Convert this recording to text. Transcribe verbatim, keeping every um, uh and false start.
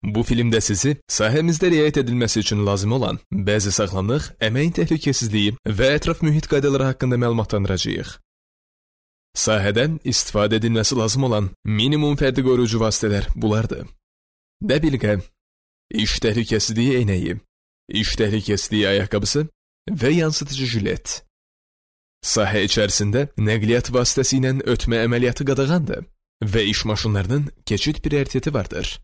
Bu filmdə sizi sahəmizdə riayət edilməsi üçün lazım olan bəzi sağlamlıq, əməyin təhlükəsizliyi və ətraf mühit qaydaları haqqında məlumatlandıracağıq. Sahədən istifadə edilməsi lazım olan minimum fərdi qoruyucu vasitələr bunlardır. Dəbilqə, iş təhlükəsizliyi eynəyi, iş təhlükəsizliyi ayaqqabısı və yansıtıcı jilet. Sahə içərisində nəqliyyat vasitəsi ilə ötmə əməliyyatı qadağandır və iş maşınlarının keçid prioritetı vardır.